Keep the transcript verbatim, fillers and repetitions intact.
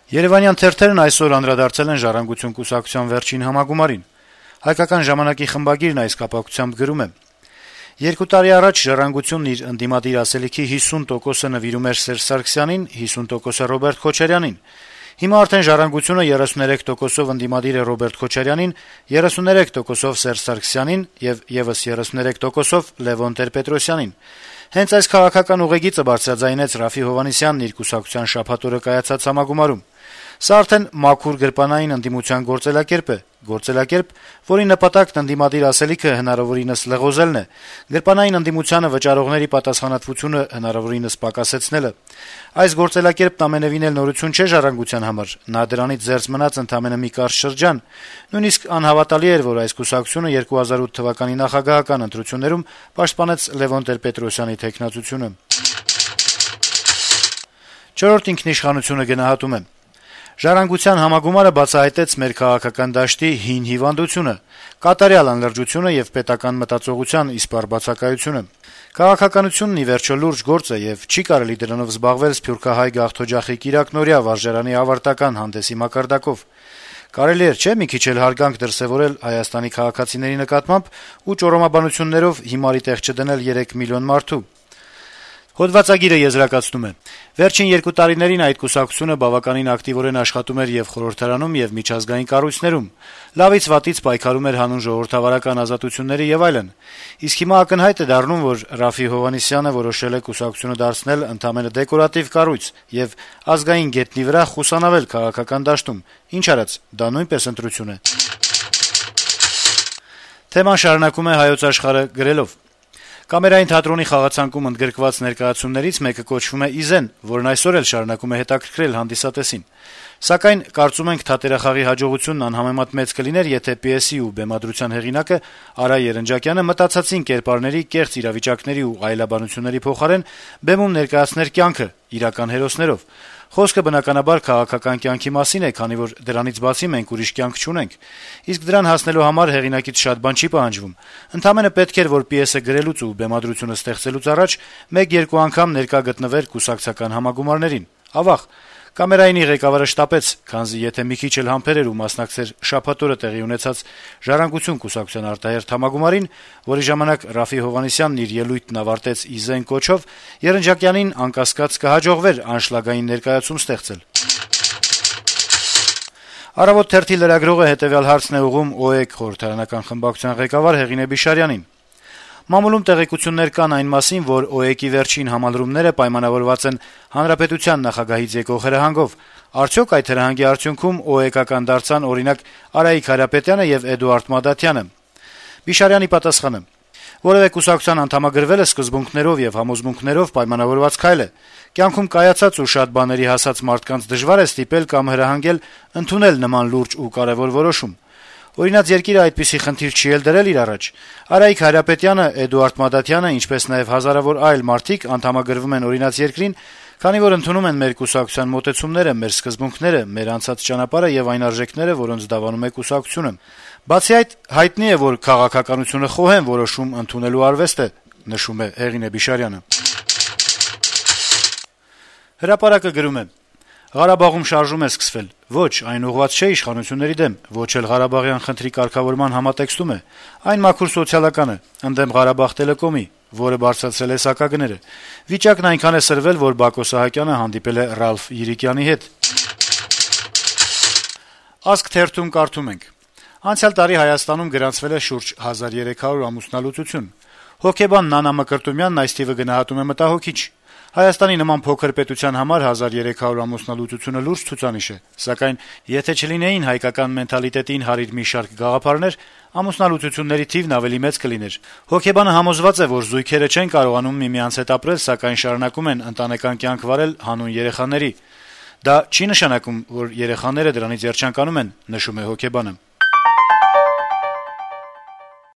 Երեւանյան թերթերն այսօր անդրադարձել են «Ժառանգություն» կուսակցության վերջին համագումարին։ «Հայկական ժամանակ»-ի խմբագիրն այս կապակցությամբ գրում է. - «Երկու տարի առաջ «Ժառանգությունն» իր ընդդիմադիր ասելիքի հիսուն տոկոսը նվիրում էր Սերժ Սարգսյանին, հիսուն տոկոսը Ռոբերտ Քոչարյանին։ Հիմա արդեն «Ժառանգությունը» երեսուներեք տոկոսով ընդդիմադիր է Ռոբերտ Քոչարյանին, երեսուներեք տոկոսով Սերժ Սարգսյանին եւ եւս երեսուներեք տոկոսով Լեւոն Տեր-Պետրոսյանին։ Հենց այս քաղաքական ուղեգիծը բարձրաձայնեց Րաֆֆի Հովհաննիսյանն իր կուսակցության շաբաթ օրը կայացած համագումարում։ Սա արդեն մաքուր գրպանային ընդդիմության գործելակերպ է, գործելակերպ, որի նպատակն ընդդիմադիր ասելիքը հնարավորինս լղոզելն է, գրպանային ընդդիմությանը վճարողների պատասխանատվությունը հնարավորինս պակասեցնելը։ Այս գործելակերպն ամենեւին էլ նորություն չէ «Ժառանգության» համար, նա դրանից զերծ մնաց ընդամենը մի կարճ շրջան։ Նույնիսկ անհավատալի էր, որ այս կուսակցությունը երկու հազար ութ թվականի նախագահական ընտրություններում պաշտպանեց Լեւոն Տեր-Պետրոսյանի թեկնածությունը»։ «Չորրորդ ինքնիշխանություն»-ը գնահատում է. - «Ժառանգության համագումարը բացահայտեց մեր քաղաքական դաշտի հին հիվանդությունը՝ կատարյալ անլրջությունը եւ պետական մտածողության իսպառ բացակայությունը։ Քաղաքականությունն ի վերջո լուրջ գործ է, եւ չի կարելի դրանով զբաղվել սփյուռքահայ գաղթօջախի կիրակնօրյա վարժարանի ավարտական հանդեսի մակարդակով։ Կարելի էր, չէ՞, մի քիչ էլ հարգանք դրսեւորել Հայաստանի քաղաքացիների նկատմամբ ու ճոռոմաբանություններով հիմարի տեղ չդնել երեք միլիոն մարդու»։ Հոդվածագիրը եզրակացնում է. - «Վերջին երկու տարիներին այդ կուսակցությունը բավականին ակտիվորեն աշխատում էր եւ խորհրդարանում, եւ միջազգային կառույցներում, լավից վատից պայքարում էր հանուն ժողովրդավարական ազատությունների եւ այլն։ Իսկ հիմա ակնհայտ է դառնում, որ Րաֆֆի Հովհաննիսյանը որոշել է կուսակցությունը դարձնել ընդամենը դեկորատիվ կառույց եւ ազգային գետնի վրա խուսանավել քաղաքական դաշտում։ Ինչ արած, դա նույնպես ընտրություն է»։ Թեման շարունակում է «Հայոց Աշխարհ»-ը գրելով. - «Կամերային թատրոնի խաղացանկում ընդգրկված ներկայացումներից մեկը կոչվում է «Իզեն», որն այսօր էլ շարունակում է հետաքրքրել հանդիսատեսին։ Սակայն կարծում ենք թատերախաղի հաջողությունն անհամեմատ մեծ կլիներ, եթե պիեսի ու բեմադրության հեղինակը Արա Երնջակյանը մտածածին կերպարների, կեղծ իրավիճակների ու այլաբանությունների փոխարեն բեմում ներկայացներ կյանքը՝ իրական հերոսներով։ Խոսքը բնականաբար քաղաքական կյանքի մասին է, քանի որ դրանից բացի մենք ուրիշ կյանք չունենք։ Իսկ դրան հասնելու համար հեղինակից շատ բան չի պահանջվում։ Ընդամենը պետք էր, որ պիեսը գրելուց ու բեմադրությունը ստեղծելուց առաջ մեկ-երկու անգամ ներկա գտնվեր կուսակցական համագումարներին։ Ավաղ, կամերայինի ղեկավարը շտապեց, քանզի եթե մի քիչ էլ համբեր էր ու մասնակցեր շաբաթ օրը տեղի ունեցած «Ժառանգություն» կուսակցության արտահերթ համագումարին, որի ժամանակ Րաֆֆի Հովհաննիսյանն իր ելույթն ավարտեց «Իզեն» կոչով, Երնջակյանին անկասկած կհաջողվեր անշլագային ներկայացում ստեղծել»։ «Առավոտ» թերթի լրագրողը հետեւյալ հարցն է ուղղում ՕԵԿ խորհրդարանական խմբակցության ղեկավար Հեղինե Բիշարյանին. - «Մամուլում տեղեկություններ կան այն մասին, որ ՕԵԿ-ի վերջին համալրումները պայմանավորված են հանրապետության նախագահից եկող հրահանգով։ Արդյոք այդ հրահանգի արդյունքում ՕԵԿ-ական դարձան, օրինակ, Արայիկ Հարապետյանը եւ Էդուարդ Մադաթյանը»։ Բիշարյանի պատասխանը. - «Որեւէ կուսակցության անդամագրվելը սկզբունքներով եւ համոզմունքներով պայմանավորված քայլ է։ Կյանքում կայացած ու շատ բաների հասած մարդկանց դժվար է ստիպել կամ հրահանգել ընդունել նման լուրջ ու կարեւոր որոշում։ Օրինակ երկիրը այդպիսի խնդիր չի էլ դրել իր առաջ։ Արայիկ Հարապետյանը, Էդուարդ Մադաթյանը, ինչպես նաեւ հազարավոր այլ մարդիկ անդամագրվում են օրինաց երկրին, քանի որ ընդունում են մեր կուսակցության մոտեցումները, մեր սկզբունքները, մեր անցած ճանապարհը եւ այն արժեքները, որոնց դավանում է կուսակցությունը։ Բացի այդ, հայտնի է, որ քաղաքականությունը խոհեմ որոշում ընդունելու արվեստ է», նշում է Հեղինե Բիշարյանը։ «Հրապարակ»-ը գրում է. - «Ղարաբաղում շարժում է սկսվել։ Ոչ, այն ուղղված չէ իշխանությունների դեմ, ոչ էլ Ղարաբաղյան խնդրի կարգավորման համատեքստում է։ Այն մաքուր սոցիալական է, ընդդեմ Ղարաբաղ Տելեկոմի, որը բարձրացրել է սակագները։ Վիճակն այնքան է սրվել, որ Բակո Սահակյանը հանդիպել է Ռալֆ Յիրիկյանի հետ»։ «Ազգ» թերթում կարդում ենք. - «Անցյալ տարի Հայաստանում գրանցվել է շուրջ հազար երեք հարյուր ամուսնալուծություն։ Հոգեբան Նանա Մկրտումյանն այս թիվը գնահատում է մտահոգիչ։ Հայաստանի նման փոքր պետության համար հազար երեք հարյուր ամուսնալուծությունը լուրջ ցուցանիշ է, սակայն եթե չլինեին հայկական մենթալիտետին հարիր մի շարք գաղափարներ, ամուսնալուծությունների թիվն ավելի մեծ կլիներ։ Հոգեբանը համոզված է, որ զույգերը չեն կարողանում միմյանց հետ ապրել, սակայն շարունակում են ընտանեկան կյանք վարել հանուն երեխաների։ Դա չի նշանակում, որ երեխաները դրանից երջանկանում են», նշում է հոգեբանը։